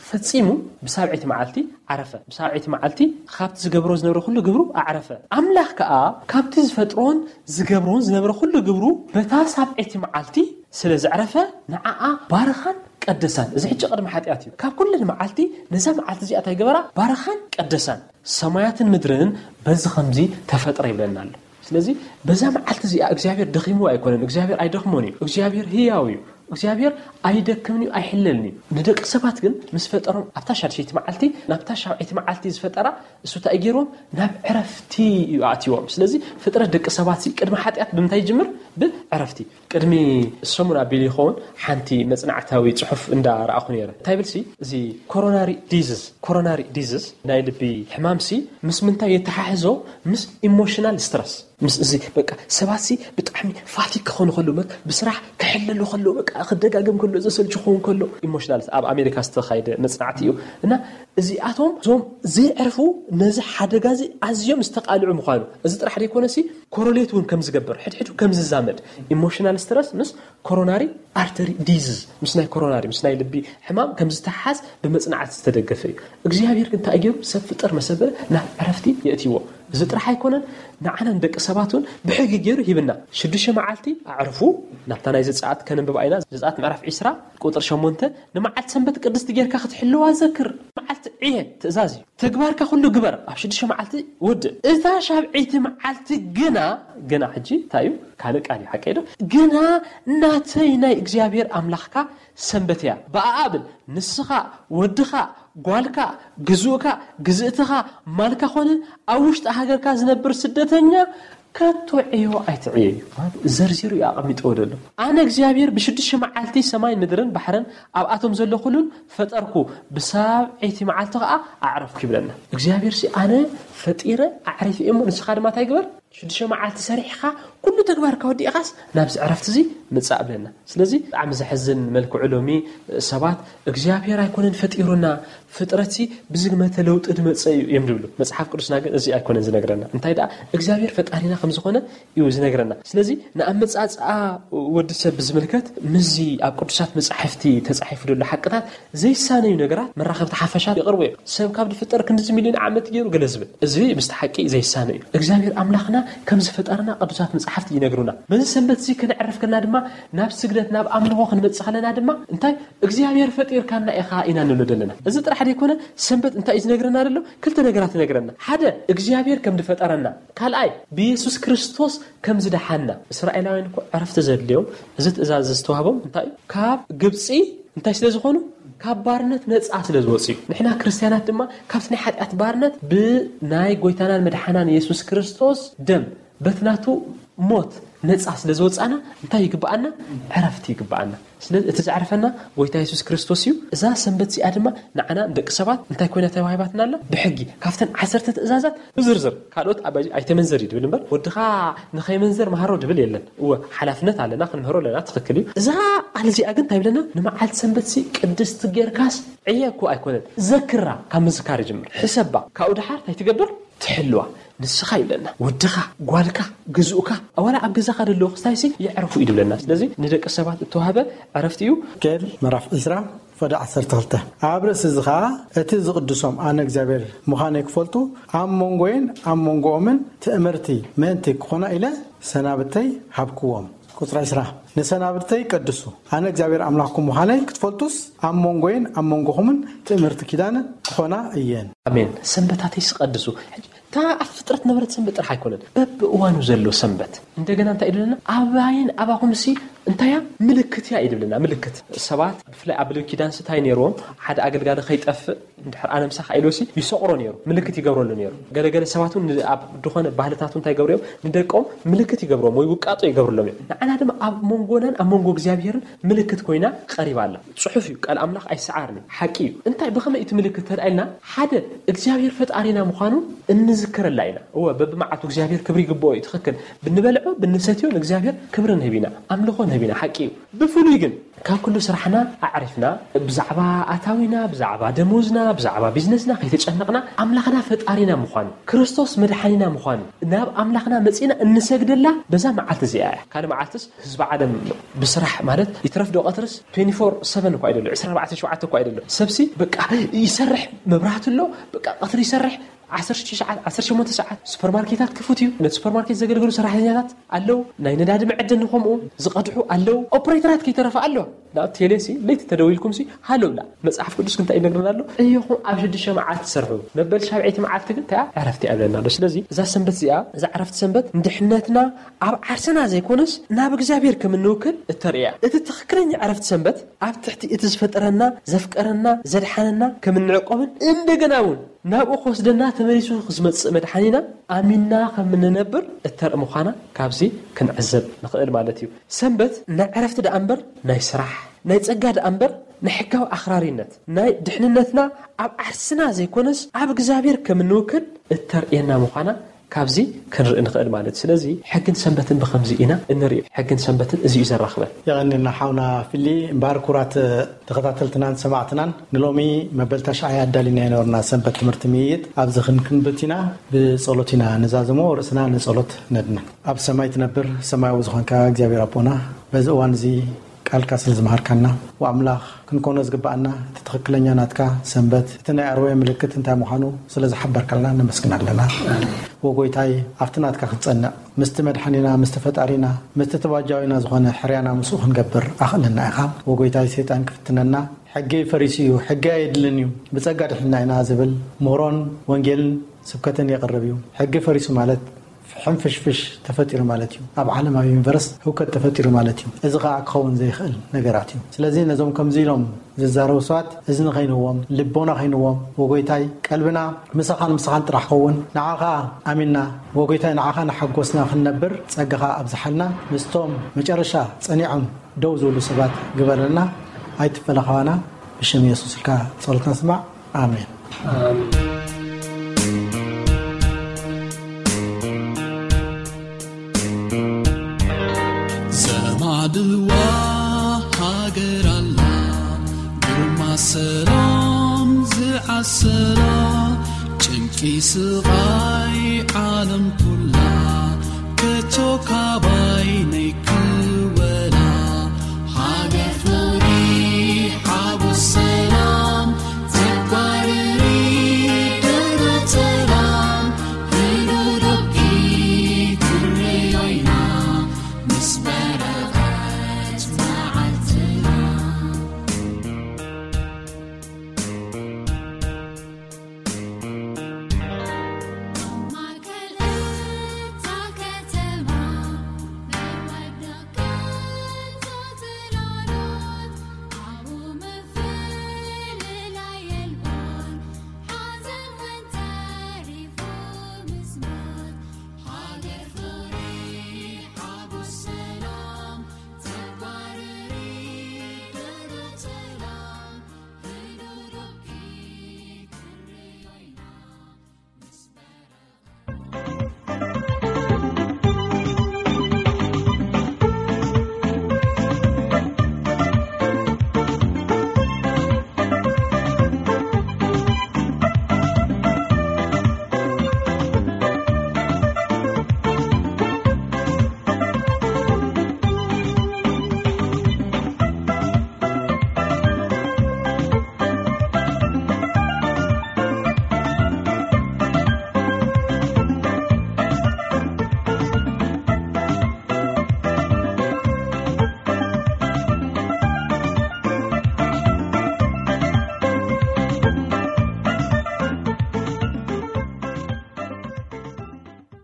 ፈጺሙ ብሳብዐይቲ መዓልቲ ዓረፈ። ብሳብዐይቲ መዓልቲ ካብቲ ዝገብሮ ዝነበረ ኩሉ ግብሩ ኣዕረፈ። ኣምላኽ ከኣ ካብቲ ዝፈጥሮን ዝገብሮን ዝነበረ ኩሉ ግብሩ በታ ሳብዐይቲ መዓልቲ ስለ ዘዕረፈ ንዓኣ ባረኻን ቀደሳን። እዚ ሕጂ ቅድሚ ሓጢኣት እዩ። ካብ ኩለን መዓልቲ ነዛ መዓልቲ እዚኣ እንታይ ገበራ? ባረኻን ቀደሳን። ሰማያትን ምድርን በዚ ከምዚ ተፈጥረ ይብለና ኣሎ። ስለዚ በዛ መዓልቲ እዚኣ እግዚኣብሔር ደኺምዎ ኣይኮነን። እግዚኣብሔር ኣይደኽሞን እዩ። እግዚኣብሔር ህያው እዩ። እግዚኣብሔር ኣይደክምን እዩ፣ ኣይሕለልን እዩ። ንደቂ ሰባት ግን ምስ ፈጠሮም ኣብታ ሻድሸይቲ መዓልቲ ናብታ ሻብዐይቲ መዓልቲ ዝፈጠራ እሱ እንታይ ገይርዎም? ናብ ዕረፍቲ እዩ ኣእትዎም። ስለዚ ፍጥረት ደቂ ሰባት ቅድሚ ሓጢኣት ብምንታይ ይጅምር? ብዕረፍቲ። ቅድሚ ሰሙን ኣቢሉ ይኸውን ሓንቲ መጽናዕታዊ ጽሑፍ እንዳረኣኹ ነይረ። እንታይ ይብል ሲ እዚ ኮሮናሪ ዲዝዝ ኮሮናሪ ዲዝዝ ናይ ልቢ ሕማም ሲ ምስ ምንታይ የተሓሕዞ? ምስ ኢሞሽናል ስትረስ። ምስ እዚ በቃ ሰባት ሲ ብጣዕሚ ፋቲግ ክኾኑ ከለዉ፣ በቃ ብስራሕ ክሕለሉ ከለዉ፣ በቃ ክደጋገም ከሎ፣ ዘሰልች ክኸውን ከሎ፣ ኢሞሽናል ኣብ ኣሜሪካ ዝተኻየደ መጽናዕቲ እዩ። እና እዚኣቶም እዞም ዘይዕርፉ ነዚ ሓደጋ እዚ ኣዝዮም ዝተቃልዑ ምዃኑ፣ እዚ ጥራሕ ዘይኮነ ሲ ኮሮሌት እውን ከም ዝገብር፣ ሕድሕዱ ከም ዝዛመድ፣ ኢሞሽናል ስትረስ ምስ ኮሮናሪ ኣርተሪ ዲዝዝ፣ ምስ ናይ ኮሮናሪ ምስ ናይ ልቢ ሕማም ከም ዝተሓዝ ብመጽናዕቲ ዝተደገፈ እዩ። እግዚኣብሔር ግን እንታይ ገይሩ? ሰብ ፍጥር መሰበረ ናብ ዕረፍቲ የእትይዎ። እዚ ጥራሕ ኣይኮነን፣ ንዓና ንደቂ ሰባት እውን ብሕጊ ገይሩ ሂብና። ሽዱሽተ መዓልቲ ኣዕርፉ። ናብታ ናይ ዘጸኣት ከነንብባ ኢና። ዘጸኣት ምዕራፍ ዒስራ ቁጥሪ ሸሞንተ፣ ንመዓልቲ ሰንበት ቅድስቲ ጌርካ ክትሕልዋ ዘክር። መዓልቲ ዕየ ትእዛዝ እዩ። ተግባርካ ኩሉ ግበር፣ ኣብ ሽዱሽተ መዓልቲ ውድእ። እታ ሻብዐይቲ መዓልቲ ግና፣ ግና ሕጂ እንታይ እዩ? ካልእ ቃል እዩ፣ ሓቀይ ዶ? ግና ናተይ ናይ እግዚኣብሔር ኣምላኽካ ሰንበት እያ። ብኣኣ ብል፣ ንስኻ፣ ወድኻ፣ ጓልካ፣ ግዙእካ፣ ግዝእትኻ፣ ማልካ ኾነ ኣብ ውሽጢ ሃገርካ ዝነብር ስደተኛ ከቶ ዕዮ ኣይትዕየዩ። ዘርዚሩ እዩ ኣቐሚጥዎ ዘሎ። ኣነ እግዚኣብሔር ብሽዱሽተ መዓልቲ ሰማይን ምድርን ባሕርን ኣብኣቶም ዘሎ ኩሉን ፈጠርኩ፣ ብሳብዐይቲ መዓልቲ ኸዓ ኣዕረፍኩ ይብለና። እግዚኣብሔር ሲ ኣነ ፈጢረ ኣዕሪፈ እየ እሞ ንስኻ ድማ እንታይ ግበር? ሽዱሽተ መዓልቲ ሰሪሕኻ ኩሉ ተግባርካ ወዲእኻስ ናብዚ ዕረፍቲ እዚ ምጻእ ብለና። ስለዚ ብጣዕሚ ዘሕዝን መልክዑ ሎሚ ሰባት እግዚኣብሔር ኣይኮነን ፈጢሩና፣ ፍጥረትሲ ብዝግመተ ለውጢ ዝመጸ እዩ እዮም ዝብሉ። መጽሓፍ ቅዱስና ግን እዚ ኣይኮነን ዝነግረና። እንታይ ደኣ እግዚኣብሔር ፈጣሪና ከም ዝኾነ እዩ ዝነግረና። ስለዚ ንኣመጻጽኣ ወዲ ሰብ ብዝምልከት ምስዚ ኣብ ቅዱሳት መጻሕፍቲ ተጻሒፉ ዘሎ ሓቅታት ዘይሳነዩ ነገራት መራኸብቲ ሓፈሻት ይቕርቡ እዮም። ሰብ ካብ ዝፍጠር ክንድዚ ሚልዮን ዓመት ገይሩ ገለ ዝብል። እዚ ምስቲ ሓቂ ዘይሳነ እዩ። እግዚኣብሔር ኣምላኽና ከም ዝፈጠረና ቅዱሳት መጻሕፍቲ ይነግሩና። በዚ ሰንበት እዚ ከነዕርፍ ከለና ድማ ናብ ስግደት ናብ ኣምልኾ ክንመጽእ ከለና ድማ እንታይ እግዚኣብሔር ፈጢርካና ኢኻ ኢና ንብሎ ዘለና። እዚ ጥራሕ ዘይኮነ ሰንበት እንታይ እዩ ዝነግረና ዘሎ? ክልተ ነገራት ይነግረና። ሓደ እግዚኣብሔር ከም ዝፈጠረና፣ ካልኣይ ብየሱስ ክርስቶስ ከም ዝደሓና። እስራኤላውያን እኮ ዕረፍቲ ዘድልዮም እዚ ትእዛዝ ዝተዋህቦም እንታይ እዩ? ካብ ግብፂ እንታይ ስለ ዝኾኑ? ካብ ባርነት ነፃ ስለ ዝወፁ እዩ። ንሕና ክርስትያናት ድማ ካብቲ ናይ ሓጢኣት ባርነት ብናይ ጎይታናን መድሓናን የሱስ ክርስቶስ ደም በቲ ናቱ ሞት ነፃ ስለ ዝወፃና እንታይ ይግብኣና? ዕረፍቲ ይግብኣና። ስለዚ እቲ ዘዕርፈና ጎይታ የሱስ ክርስቶስ እዩ። እዛ ሰንበት እዚኣ ድማ ንዓና ንደቂ ሰባት እንታይ ኮይና ተዋሂባትና ኣላ? ብሕጊ ካብተን ዓሰርተ ትእዛዛት ብዝርዝር፣ ካልኦት ኣባይ ኣይተመንዘር እዩ ድብል እምበር ወድኻ ንኸይመንዘር መሃሮ ድብል የለን። እወ ሓላፍነት ኣለና፣ ክንምህሮ ኣለና፣ ትኽክል እዩ። እዛ ቃል እዚኣ ግን እንታይ ብለና? ንመዓልቲ ሰንበት ሲ ቅድስቲ ጌርካስ ዕየ እኮ ኣይኮነን፣ ዘክራ፣ ካብ ምዝካር ይጅምር። ሕሰባ፣ ካብኡ ደሓር እንታይ ትገብር? ትሕልዋ። ንስኻ ይብለና፣ ወድኻ፣ ጓልካ፣ ግዝኡካ፣ ኣዋላ ኣብ ገዛኻ ደለዉ ክስታይሲ የዕርፉ እዩ ድብለና። ስለዚ ንደቂ ሰባት እተዋህበ ዕረፍቲ እዩ። ሕዝቅኤል ምዕራፍ ዕስራ ፍቕዲ ዓሰርተ ክልተ። ኣብ ርእሲ እዚ ኸኣ እቲ ዝቕድሶም ኣነ እግዚኣብሔር ምዃነይ ክፈልጡ ኣብ መንጎይን ኣብ መንጎኦምን ትእምርቲ ምእንቲ ክኾና ኢለ ሰናብተይ ሃብክዎም። ቁጽሪ ዕስራ። ንሰናብተይ ቀድሱ፣ ኣነ እግዚኣብሔር ኣምላኽኩም ምዃነይ ክትፈልጡስ ኣብ መንጎይን ኣብ መንጎኹምን ትእምርቲ ኪዳን ክኾና እየን። ኣሜን። ሰንበታተይስ ቀድሱ። ሕጂ እታ ኣብ ፍጥረት ነበረት ሰንበት ጥራሕ ኣይኮነን፣ በብእዋኑ ዘሎ ሰንበት። እንደገና እንታይ ኢሉና? ኣባይን ኣባኹምሲ እንታይ እያ? ምልክት እያ እዩ ዝብለና። ምልክት ሰባት ብፍላይ ኣብ ብሉይ ኪዳን እንታይ ነይርዎም? ሓደ ኣገልጋሊ ከይጠፍእ እንድሕር ኣነምሳ ኢሎሲ ይሰቕሮ ነይሩ፣ ምልክት ይገብረሉ ነይሩ። ገለገለ ሰባት እውን ን- ኣብ ዝኾነ ባህልታት እንታይ ይገብሩ እዮም? ንደቆም ምልክት ይገብሮም ወይ ውቃጦ ይገብርሎም እዮም። ንዓና ድማ ኣብ መንጎናን ኣብ መንጎ እግዚኣብሔርን ምልክት ኮይና ቀሪባ ኣላ። ጽሑፍ እዩ፣ ቃል ኣምላኽ ኣይሰዓርን እዩ፣ ሓቂ እዩ። እንታይ ብኸመይ እቲ ምልክት ተርኣየልና? ሓደ እግዚኣብሔር ፈጣሪና ምዃኑ እንዝክረላ ኢና። እወ በብመዓልቱ እግዚኣብሔር ክብሪ ይግብኦ እዩ፣ ትኽክል። ብንበልዖ ብንሰትዮ ንእግዚኣብሔር ክብሪ ንህብ ኢና፣ ኣምልኾ ንህብ ኢና፣ ሓቂ እዩ። ብፍሉይ ግን ካብ ኩሉ ስራሕና ኣዕሪፍና ብዛዕባ ኣታዊና፣ ብዛዕባ ደሞዝና፣ ብዛዕባ ቢዝነስና ከይተጨነቕና ኣምላኽና ፈጣሪና ምዃኑ፣ ክርስቶስ መድሓኒና ምዃኑ ናብ ኣምላኽና መጺና እንሰግደላ በዛ መዓልቲ እዚኣ እያ። ካልእ መዓልትስ ህዝቢ ዓለም ብስራሕ ማለት ይትረፍ ዶ ቀትርስ ትዌንቲ ፎር ሰቨን እኳ ኣይደሎ፣ ዕስራን ኣርባዕተን ሸውዓተ እኳ ኣይደሎ። ሰብሲ በቃ ይሰርሕ፣ መብራህቲ ኣሎ፣ በቃ ቀትሪ ይሰርሕ፣ ዓሰርተ ሰዓት፣ ዓሰርተ ሸሞንተ ሰዓት ሱፐርማርኬታት ክፉት እዩ። ነቲ ሱፐርማርኬት ዘገልግሉ ሰራሕተኛታት ኣለዉ። ናይ ነዳዲ መዐደኒ ከምኡ ዝቐድሑ ኣለዉ። ኦፕሬተራት ከይተረፈ ኣለዋ። ናብ ቴሌሲ ለይቲ ተደዊልኩምሲ ሃሎ ብላ። መጽሓፍ ቅዱስ ግን እንታይ ይነግረና ኣሎ? እዮኹም ኣብ ሽዱሽተ መዓልቲ ትሰርሑ፣ መበል ሻብዐይቲ መዓልቲ ግን እንታይ ዕረፍቲ ኣብለና ኣሎ። ስለዚ እዛ ሰንበት እዚኣ፣ እዛ ዕረፍቲ ሰንበት ንድሕነትና ኣብ ዓርስና ዘይኮነስ ናብ እግዚኣብሔር ከም እንውክል እተርእያ። እቲ ትኽክለኛ ዕረፍቲ ሰንበት ኣብ ትሕቲ እቲ ዝፈጠረና፣ ዘፍቀረና፣ ዘድሓነና ከም እንዕቆብን እንደገና እውን ናብኡ ክወስደና ተመሊሱ ዝመጽእ መድሓኒና ኣሚንና ከም እንነብር እተርኢ ምዃና ካብዚ ክንዕዘብ ንኽእል ማለት እዩ። ሰንበት ናይ ዕረፍቲ ደኣ እምበር ናይ ስራሕ፣ ናይ ጸጋ ደኣ እምበር ናይ ሕጋዊ ኣኽራሪነት፣ ናይ ድሕንነትና ኣብ ዓርስና ዘይኮነስ ኣብ እግዚኣብሔር ከም እንውክል እተርእየና ምዃና ካብዚ ክንርኢ ንኽእል ማለት እዩ። ስለዚ ሕግን ሰንበትን ብኸምዚ ኢና እንርእዮ። ሕግን ሰንበትን እዚ እዩ ዘራኽበን። የቐንየልና ሓውና ፊሊ። እምበኣር ክቡራት ተኸታተልትናን ሰማዕትናን፣ ንሎሚ መበል ታሽዓይ ኣዳሊና ይነበርና ሰንበት ትምህርቲ ምይይጥ ኣብዚ ክንክንብት ኢና። ብጸሎት ኢና ንዛዝሞ፣ ርእስና ንጸሎት ነድንን። ኣብ ሰማይ ትነብር ሰማያዊ ዝኾንካ እግዚኣብሔር ኣቦና፣ በዚ እዋን እዚ ቃልካ ስለ ዝመሃርካና፣ ወኣምላኽ ክንኮኖ ዝግብኣና እቲ ትኽክለኛ ናትካ ሰንበት፣ እቲ ናይ ኣርወየ ምልክት እንታይ ምዃኑ ስለ ዝሓበርካልና ነመስግን ኣለና። ወጎይታይ፣ ኣብቲ ናትካ ክንጸንዕ፣ ምስቲ መድሓኒና፣ ምስቲ ፈጣሪና፣ ምስቲ ተባጃዊና ዝኾነ ሕርያና ምስኡ ክንገብር ኣኽእለና ኢኻ። ወጎይታይ፣ ሰይጣን ክፍትነና፣ ሕገይ ፈሪሱ እዩ፣ ሕገይ ኣየድልን እዩ፣ ብጸጋ ድሒንና ኢና ዝብል ምህሮን ወንጌልን ስብከትን የቕርብ እዩ። ሕጊ ፈሪሱ ማለት ሕንፍሽፍሽ ተፈጢሩ ማለት እዩ። ኣብ ዓለም፣ ኣብ ዩኒቨርስ ህውከት ተፈጢሩ ማለት እዩ። እዚ ኸዓ ክኸውን ዘይኽእል ነገራት እዩ። ስለዚ ነዞም ከምዚ ኢሎም ዝዛረቡ ሰባት እዝኒ ኸይንዎም፣ ልቦና ኸይንዎም፣ ወጎይታይ፣ ቀልብና ምሳኻን ምሳኻን ጥራሕ ኸውን። ንዓኻ ኣሚንና፣ ወጎይታይ፣ ንዓኻ ንሓጎስና ክንነብር ጸጋኻ ኣብዝሓልና። ምስቶም መጨረሻ ጸኒዖም ደው ዝብሉ ሰባት ግበረልና። ኣይትፈለኻዋና። ብሽም የሱስ ኢልካ ጸሎትና ስማዕ። ኣሜን። ዘማዕድዋ ሃገር ኣላ፣ ግርማ ሰላም ዝዓሰላ፣ ጭንቂ ስቓይ